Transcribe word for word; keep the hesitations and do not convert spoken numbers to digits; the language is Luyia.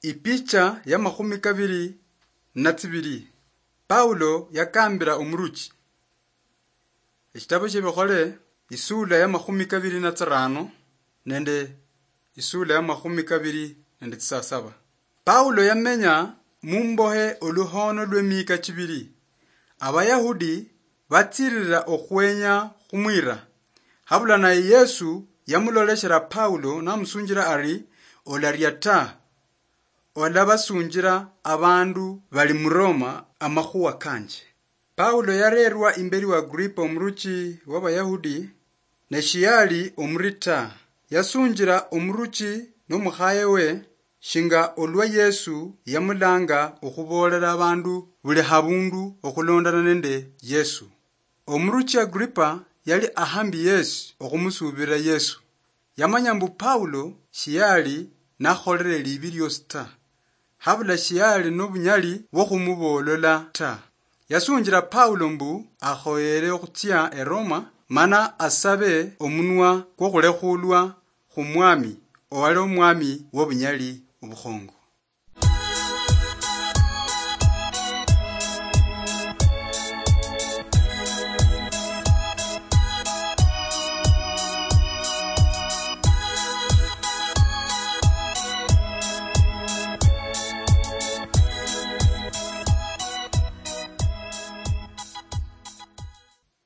Ipicha ya makhumi kabiri na tsibiri. Paulo yakambira omuruchi. Eshitabo shiebikhole, isula ya makhumi kabiri na tsirano nende isula ya makhumi kabiri nende tsisasaba. Paulo yamenya mumbohe oluhono lwemiika chibiri. Abayahudi batsirira okhwenya khumwira. Habula naye Yesu yamuloleshera Paulo namusunjira ari, "Olaria ta, olabasunjira abandu bali mu Roma amakhuwa kanje." Paulo yarerwa imberi wa Agripa omuruchi w'Abayahudi, ne shiyali omuri ta. Yasunjira omuruchi nomukhaye we, shinga olwa Yesu yamulanga okhuboolera abandu buli habundu okhulondana nende Yesu. Omuruchi Agripa yali ahambi yesi okhumusuubirira Yesu. Yamanya mbu Paulo shiyali nakholere libi liosi ta. Habula shiyali nobunyali bwokhumuboolola ta. Yasunjira Paulo mbu akhoyere okhutsia e Roma, mana asabe omunwa kwokhulekhulwa khumwami, owali omwami wobunyali obukhongo.